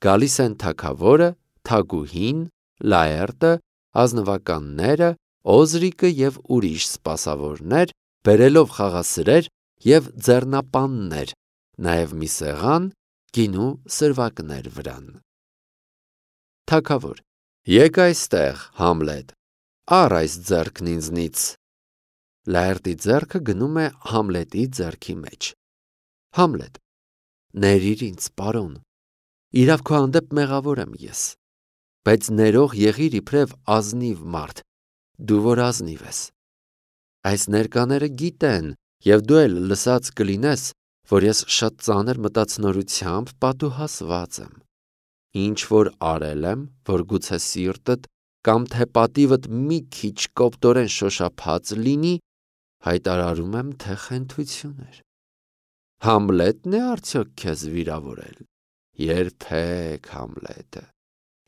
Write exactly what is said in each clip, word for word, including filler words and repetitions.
գալիս են թագավորը, թագուհին, Լաերտը, ազնվականները, Օզրիկը և ուրիշ սպասավորներ, բերելով խաղասրեր և ձեռնապաններ, նաև մի սեղան, գինու սրվակներ վրան։ Թագավոր. Եկ այստեղ, Համլետ, առ այս ձեռքն ինձնից։ Լաերտի ձեռքը գնում է Համլետի ձեռքի մեջ։ Համլետ. Ներիր ինձ, պարոն, իրավ քո հանդեպ մեղավոր եմ ես, բայց ներող եղիր իբրև ազնիվ մարդ, դու որ ազնիվ ես։ Այս ներկաները գիտեն, և դու էլ լսած կլինես, որ ես շատ ծանր մտածնորությամբ պատուհասված եմ։ Ինչ որ արել եմ, որ գուցե սիրտդ կամ թե պատիվդ մի քիչ կոպտորեն շոշափած լինի, հայտարարում եմ, թե խենթություն էր։ Համլետն է արդյոք քեզ վիրավորել։ Երբեք, Համլետը։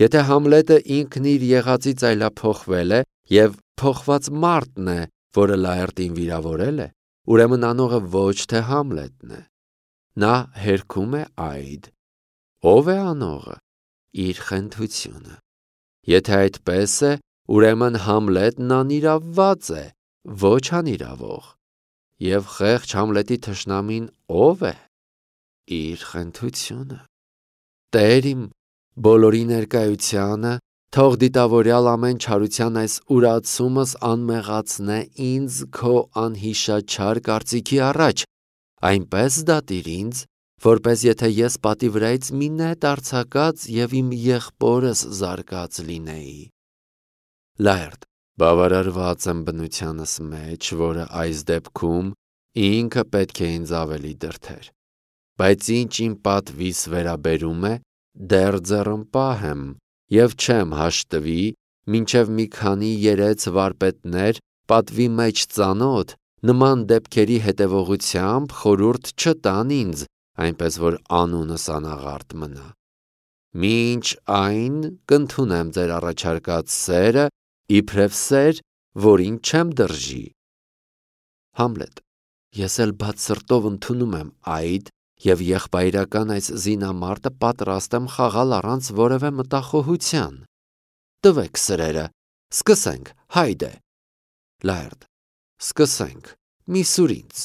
Եթե Համլետը ինքն իր եղածից այլափոխվել է և փոխված մարդն է, որը Լաերտին վիրավորել է, ուրեմն անողը ոչ թե Համլետն է։ Նա հերքում է այդ։ Ո՞վ է անողը։ Իր խենթությունը։ Եթե այդպես է, ուրեմն Համլետն անիրավված է, ոչ անիրավող։ Եվ խեղճ Համլետի թշնամին ո՞վ է։ Իր խենթությունը։ Տեր իմ, բոլորի ներկայությանը թող դիտավորյալ ամեն չարության այս ուրացումս անմեղացնե ինձ քո անհիշաչար կարծիքի առաջ, այնպես դատիր ինձ, որպես եթե ես պատի վրայից մի նետ արձակած և իմ եղբորս զարկած լինեի։ Լաերտ. Բավարարված եմ բնությանս մեջ, որը այս դեպքում ինքը պետք է ինձ ավելի դրդեր, բայց ինչ իմ պատվիս վերաբերում է, դեռ ձեռնպահ եմ և չեմ հաշտվի, մինչև մի քանի երեց վարպետներ պատվի մեջ ծանոթ նման դեպքերի հետևողությամբ խորհուրդ չտան ինձ, այնպես որ անունս անաղարտ մնա։ Մինչ այն կընդունեմ ձեր առաջարկած սերը, իբրև սեր, որին չեմ դրժի։ Համլետ. Ես էլ բաց սրտով ընդունում եմ այդ և եղբայրական այս զինամարտը պատրաստ եմ խաղալ առանց որևէ մտախոհության։ Տվեք սրերը, սկսենք, հայդե։ Լաերտ. Սկսենք, մի սուր ինձ։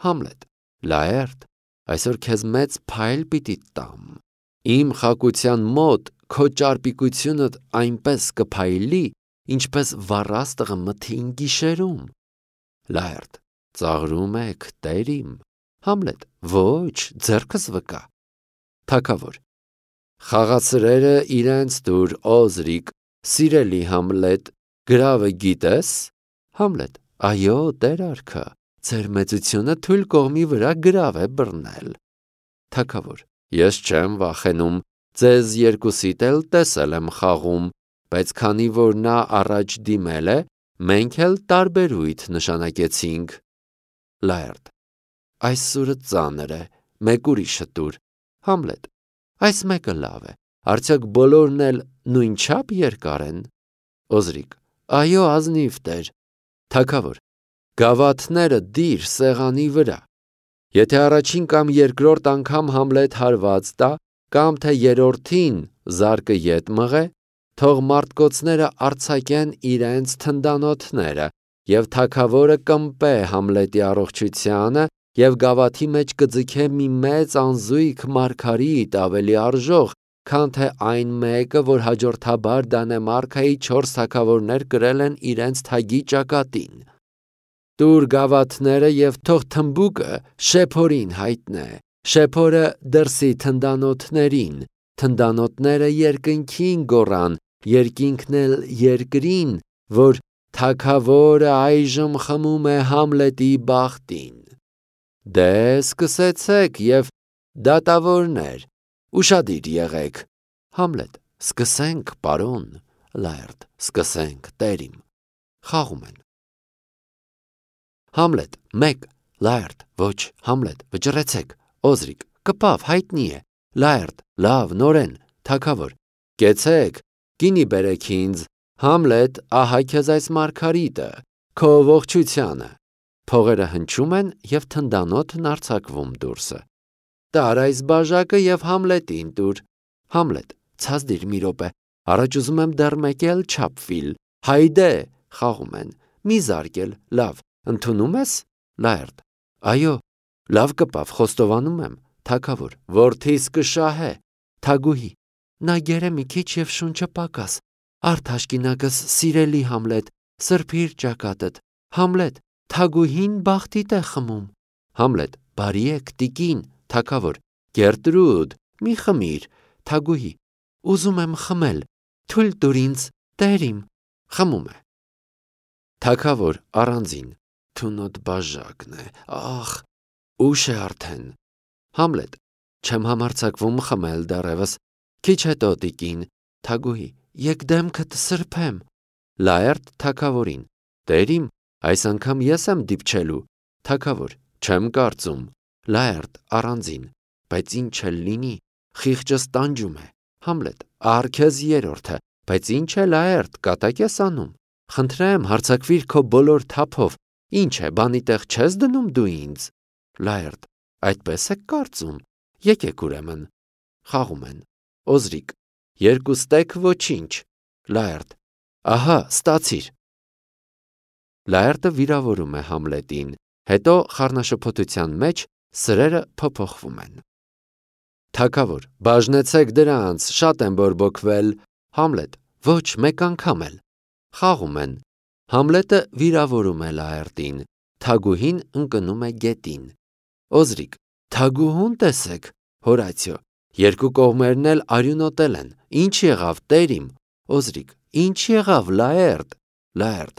Համլետ. Լաերտ, այսօր քեզ մեծ փայլ պիտի տամ։ Իմ խակության մոտ քո ճարպիկությունդ այնպես կփայլի, ինչպես վառաստղը մթին գիշերում։ Լաերտ. Ծաղրում եք, տեր իմ։ Համլետ. Ոչ, ձեռքս վկա։ Թագավոր. Խաղասրերը իրենց տուր, Օզրիկ, սիրելի Համլետ, գրավը գիտես։ Համլետ. Այո, տեր արքա, ձեր մեծությունը թույլ կողմի վրա գրավ է բռնել։ Թագավոր. Ես չեմ վախենում, ձեզ երկուսիդ էլ տեսել եմ խաղում, բայց քանի որ նա առաջ դիմել է, մենք էլ տարբերույթ նշանակեցինք։ Լաերտ. Այս սուրը ծանր է, մեկ ուրիշը տուր։ Համլետ. Այս մեկը լավ է, արդյոք բոլորն էլ նույնչափ երկար են։ Օզրիկ. Այո, ազնիվ տեր։ Թագավոր. Գավաթները դիր սեղանի վրա։ Եթե առաջին կամ երկրորդ անգամ Համլետ հարված տա, կամ թե երրորդին զարկը ետ մղե, թող մարտկոցները արձակեն իրենց թնդանոթները, և թագավորը կմպե Համլետի առողջությանը և գավաթի մեջ կձգե մի մեծ անզույգ մարգարիտ ավելի արժող, քան թե այն մեկը, որ հաջորդաբար Դանեմարքայի չորս թագավորներ կրել են իրենց թագի ճակատին։ Տուր գավաթները և թող թմբուկը շեփորին հայտնե, շեփորը դրսի թնդանոթներին, թնդանոթները երկնքին գոռան, երկինքն էլ երկրին, որ թագավորը այժմ խմում է Համլետի բախտին։ Դե սկսեցեք և դատավորներ, ուշադիր եղեք։ Համլետ. Սկսենք, պարոն։ Լաերտ. Սկսենք, տեր իմ։ Խաղում են։ Համլետ. մեկ. Լաերտ. Ոչ, Համլետ, վճռեցեք։ Օզրիկ. կպավ, հայտնի է։ Լաերտ. լավ, նորեն։ Թագավոր. կեցեք, գինի բերեք ինձ։ Համլետ, ահա քեզ այս մարգարիտը, քո ողջությանը։ Փողերը հնչում են և թնդանոթն արձակվում դուրսը։ Տար այս բաժակը և Համլետին տուր։ Համլետ, ցածդիր մի րոպե, առաջ ուզում եմ դեռ մեկ էլ չափվիլ, հայդե, խաղում են, մի զարկել, լավ, ընդունում ես, Լաերտ, այո, լավ կպավ, խոստովանում եմ, Թագավոր, որդիս կշահե, Թագուհի, նա գերը մի քիչ և շունչը պակաս, արդ աշկինակս սիրելի Համլետ, սրբիր ճակատդ, Համլետ, Թագուհին բախտիտ է խմում, Համլետ, բարի եք, տիկին, Թագավոր, Գերտրուդ, մի խմիր, Թագուհի, ուզում եմ խմել, թույլ տուր ինձ, տերիմ, խմում է, Թագավոր, առանձին, թունոտ բաժակն է, ախ, ուշ է արդեն, Համլետ, չեմ համարձակվում խմել դեռևս, քիչ հետո տիկին, Թագուհի, եկ դեմքդ սրբեմ, Լաերտ Թագավորին, տերիմ, այս անգամ ես եմ դիպչելու, Թագավոր, չեմ կարծում, Լաերտ առանձին, բայց ինչ էլ լինի, խիղճս տանջում է, Համլետ, ահա քեզ երրորդը, բայց ինչ է Լաերտ, կատակ ես անում, խնդրեմ հարձակվիր քո բոլոր թափով, ինչ է, բանի տեղ չես դնում դու ինձ, Լաերտ, այդպես եք կարծում, եկեք ուրեմն, խաղում են, Օզրիկ, երկուստեք ոչինչ, Լաերտ, ահա, ստացիր, Լաերտը վիրավորում է Համլետին, հետո խառնաշփոթության մեջ սրերը փոփոխվում են, Թագավոր, բաժնեցեք դրանց, շատ եմ բորբոքվել, Համլետ, ոչ, մեկ անգամ էլ, խաղում են, Համլետը վիրավորում է Լաերտին, Թագուհին ընկնում է գետին, Օզրիկ, Թագուհուն տեսեք, Հորացիո, երկու կողմերն էլ արյունոտել են, ինչ եղավ, տերիմ, Օզրիկ, ինչ եղավ, Լաերտ, Լաերտ,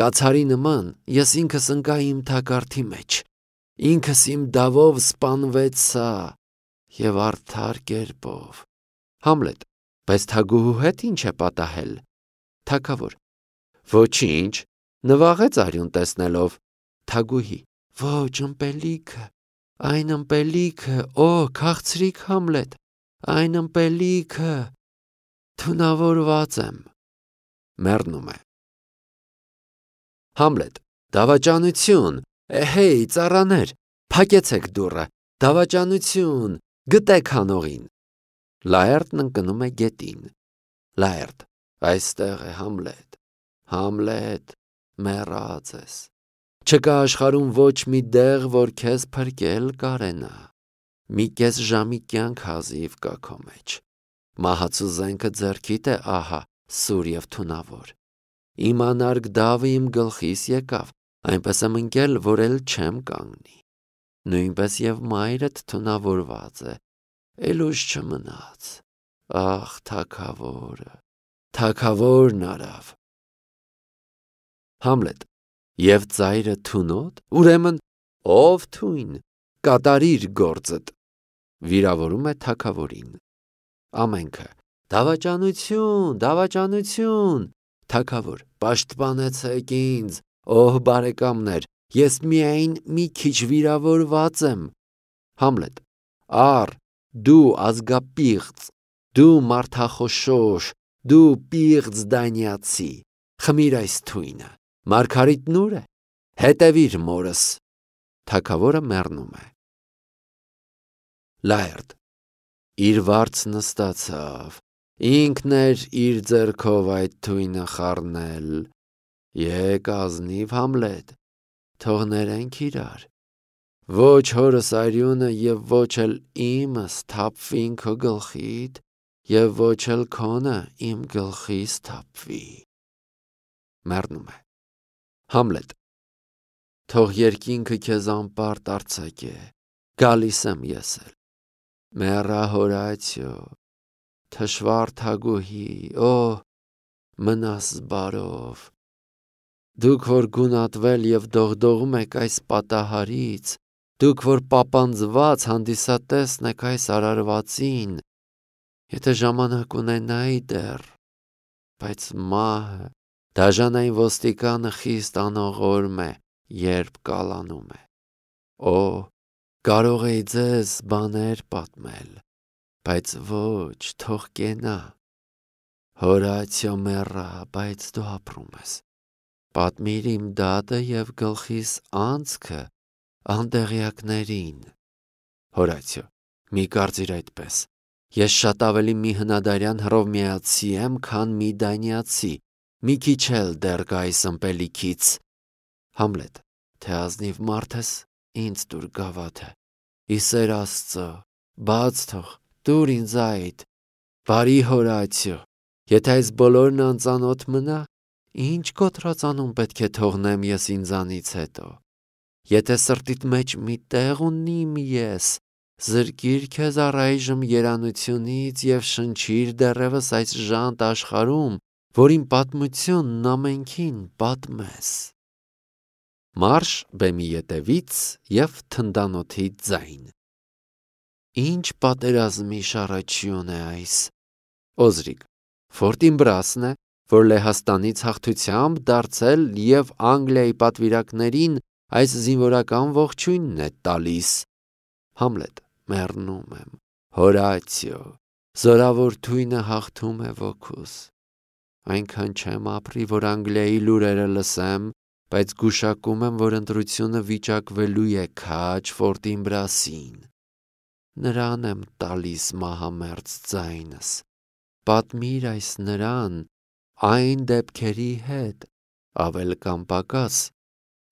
կացարի նման, ես ինքս ընկա իմ թակարդի մեջ, ինքս իմ դավով սպանվեցա, և արդար կերպով, Համլետ, բայց Թագուհու հետ ինչ է պատահել, Թագավոր, ոչինչ, նվաղեց արյուն տեսնելով, Թագուհի, ոչ, ըմպելիքը, այն ըմպելիքը, օ, քաղցրիկ Համլետ, այն ըմպելիքը, թունավորված եմ, մեռնում է, Համլետ, դավաճանություն, էհեյ, ծառաներ, փակեցեք դուռը, դավաճանություն, գտեք հանողին, Լաերտն ընկնում է գետին, Լաերտ, այստեղ է Համլետ, Համլետ, մեռած ես, չկա աշխարհում ոչ մի դեղ, որ քեզ փրկել կարենա, մի կես ժամի կյանք հազիվ կա քո մեջ, մահացու զենքը ձեռքիդ է, ահա, սուր և թունավոր, իմ անարգ դավը իմ գլխիս եկավ, այնպես եմ ընկել, որ էլ չեմ կանգնի, նույնպես և մայրդ թունավորված է, էլ ուժ չմնաց, ախ, Թագավորը, Թագավորն արավ, Համլետ, և ծայրը թունոտ, ուրեմն, ով թույն, կատարիր գործդ, վիրավորում է Թագավորին, ամենքը, դավաճանություն, դավաճանություն, Թագավոր, պաշտպանեցեք ինձ, օհ բարեկամներ, ես միայն մի քիչ վիրավորված եմ, Համլետ, առ, դու ազգապիղծ, դու մարդախոշոր, դու պիղծ դանյացի, խմիր այս թույնը, Մարգարիտն ուր է, հետևիր մորս, Թագավորը մեռնում է, Լաերտ, իր վարձ նստացավ, ինքն էր իր ձեռքով այդ թույնը խառնել, եկ ազնիվ Համլետ, թող ներենք իրար, ոչ հորս արյունը և ոչ էլ իմս թափվին քո գլխիդ և ոչ էլ քոնը իմ գլխիս թափվի, մեռնում է, Համլետ, թող երկինքը քեզ անպարտ արձակե, գալիս եմ ես էլ, մեռա Հորացիո, թշվառ Թագուհի, օհ, մնաս բարով, դուք որ գունատվել և դողդողում եք այս պատահարից, դուք որ պապանձված հանդիսատեսն եք այս արարվածին, եթե ժամանակ ունենայի դեռ, բայց մահը, դաժանային ոստիկանը խիստ անողորմ է, երբ կալանում է, օ, կարող էի ձեզ բաներ պատմել, բայց ոչ, թող կենա, Հորացիո մեռա, բայց դու ապրում ես, պատմիր իմ դատը և գլխիս անցքը անտեղյակներին, Հորացիո, մի կարծիր այդպես, Ես շատ ավելի մի հնադարյան հռովմեացի եմ, քան մի դանիացի, մի քիչ էլ դեռ գա այս ըմպելիքից։ Համլետ, թե ազնիվ մարդ ես, ինձ տուր գավաթը։ Ի սեր Աստծո, բաց թող, տուր ինձ այդ։ Բարի Հորացիո, եթե այս բոլորն անծանոթ մնա, ինչ կոտրածանում պետք է թողնեմ ես ինձանից հետո։ Եթե սրտիդ մեջ մի տեղ ունիմ ես, զրկիր քեզ առայժմ երանությունից և շնչիր դեռևս այս ժանտ աշխարհում, որին պատմությունն ամենքին պատմես։ Մարշ բեմի ետևից և թնդանոթի ձայն։ Ինչ պատերազմի շարաչյուն է այս։ Օզրիկ, Ֆորտինբրասն է, որ Լեհաստանից հաղթությամբ դարձել և Անգլիայի պատվիրակներին այս զինվորական ողջույնն է տալիս։ Համլետ, մեռնում եմ, Հորացիո, զորավոր թույնը հաղթում է ոգուս։ Այնքան չեմ ապրի, որ Անգլիայի լուրերը լսեմ, բայց գուշակում եմ, որ ընտրությունը վիճակվելու է քաջ Ֆորտինբրասին։ Նրան եմ տալիս մահամերձ ձայնս։ Պատմիր այս նրան այն դեպքերի հետ, ավել կամ պակաս,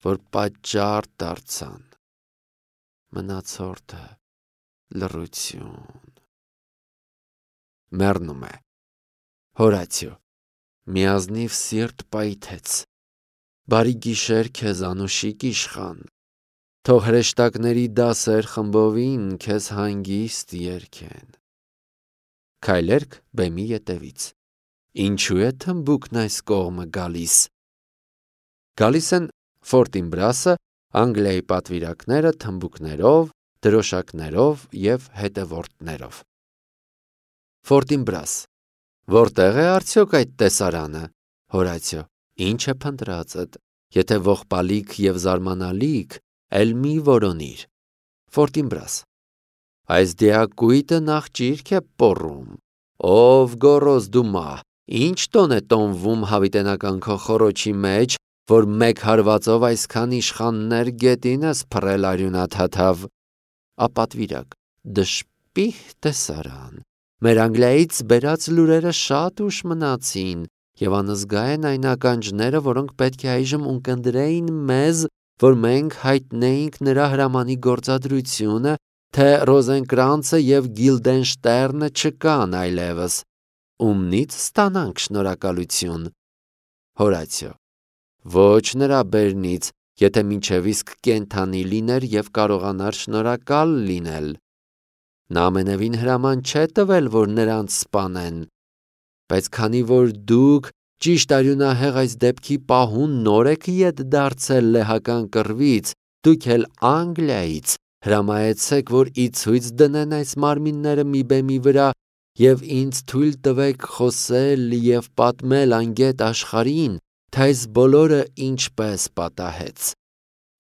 որ պատճառ դարձան։ Մնացորդը լռություն։ Մեռնում է։ Հորացիո, միազնիվ սիրտ պայթեց։ Բարի գիշեր քեզ անուշիկ իշխան։ Թող հրեշտակների դասեր խմբովին քեզ հանգիստ երգեն։ Քայլերք բեմի ետևից։ Ինչու է թմբուկն այս կողմը գալիս։ Գալիս են Ֆորտինբրասը, Անգլիայի պատվիրակները թմբուկներով, դրոշակներով և հետևորդներով։ Ֆորտինբրաս, որտեղ է արդյոք այդ տեսարանը։ Հորացիո, ինչ է փնտրածդ, եթե ողբալիք և զարմանալիք, էլ մի որոնիր։ Ֆորտինբրաս, այս դիակույտը նախ ճիրք է պոռում։ Ով գոռոզ դու մահ, ինչ տոն է տոնվում հավիտենական քո խոռոչի մեջ, որ մեկ հարվածով այսքան իշխաններ գետին ես փռել արյունաթաթավ։ Ապատվիրակ, դժպիհ տեսարան։ Մեր Անգլիայից բերած լուրերը շատ ուշ մնացին, և անզգա են այն ականջները, որոնք պետք է այժմ ունկնդրեին մեզ, որ մենք հայտնեինք նրա հրամանի գործադրությունը, թե Ռոզենկրանցը և Գիլդենշտերնը չկան այլևս։ Ումնից ստանանք շնորհակալություն։ Հորացիո, ոչ նրա բերնից, եթե մինչև իսկ կենդանի լիներ և կարողանար շնորհակալ լինել։ Նա ամենևին հրաման չէ տվել, որ նրանց սպանեն։ Բայց քանի որ դուք ճիշտ արյունահեղ այս դեպքի պահուն նոր եք ետ դարձել լեհական կռվից, դուք էլ Անգլիայից հրամայեցեք, որ ի ցույց դնեն այս մարմինները մի բեմի վրա և ինձ թույլ տվեք խոսել և պատմել անգետ աշխարհին, թե այս բոլորը ինչպես պատահեց։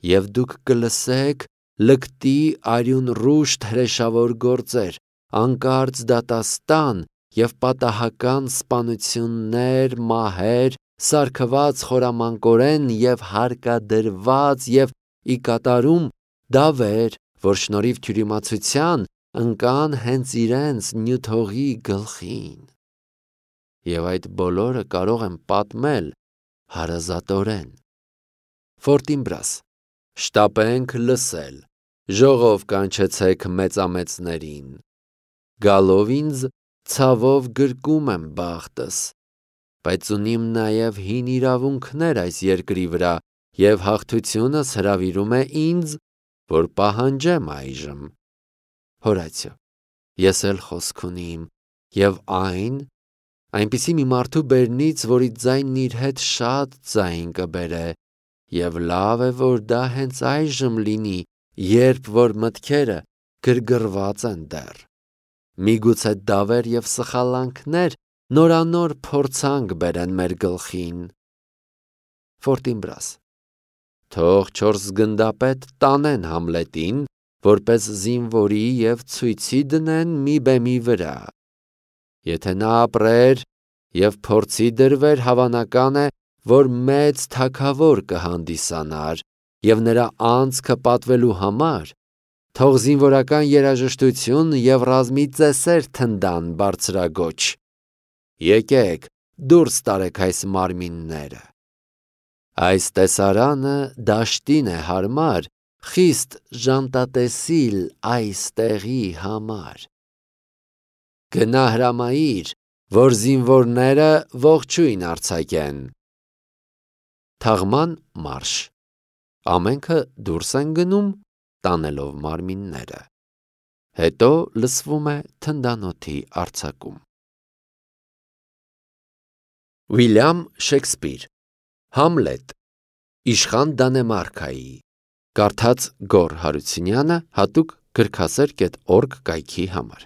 Եվ դուք կլսեք լկտի արյունռուշտ հրեշավոր գործեր, անկարծ դատաստան և պատահական սպանություններ, մահեր, սարքված խորամանկորեն և հարկադրված և ի կատարում դավեր, որ շնորհիվ թյուրիմացության ընկան հենց իրենց նյութողի գլխին։ Եվ այդ բոլորը կարող եմ պատմել հարազատորեն։ Ֆորտինբրաս, շտապենք լսել, ժողով կանչեցեք մեծամեծներին։ Գալով ինձ, ցավով գրկում եմ բախտս, բայց ունիմ նաև հին իրավունքներ այս երկրի վրա, և հաղթությունս հրավիրում է ինձ, որ պահանջեմ այժմ։ Հորացիո, ես էլ խոսք ունիմ, և այն, այնպիսի մի մարդու բերնից, որի ձայնն իր հետ շատ ձայն կբերե, և լավ է, որ դա հենց այժմ լինի, երբ որ մտքերը գրգռված են դեռ։ Միգուցե դավեր և սխալանքներ նորանոր փորձանք բերեն մեր գլխին։ Ֆորտինբրաս, թող չորս գնդապետ տանեն Համլետին, որպես զինվորի և ցույցի դնեն մի բեմի վրա։ Եթե նա ապրեր և փորձի դրվեր, հավանական է, որ մեծ թագավոր կհանդիսանար, և նրա անձքը պատվելու համար Թող զինվորական երաժշտություն և ռազմի ծեսեր թնդան բարձրագոչ։ Եկեք, դուրս տարեք այս մարմինները։ Այս տեսարանը դաշտին է հարմար, խիստ ժանտատեսիլ այս տեղի համար։ Գնա հրամայիր, որ զինվորները ողջույն արձակեն։ Թաղման մարշ։ Ամենքը դուրս են գնում, տանելով մարմինները։ Հետո լսվում է թնդանոթի արձակում։ Ուիլյամ Շեքսպիր Համլետ Իշխան Դանեմարքայի Կարդաց Գոռ Հարությունյանը հատուկ գրքասեր կետ օրգ կայքի համար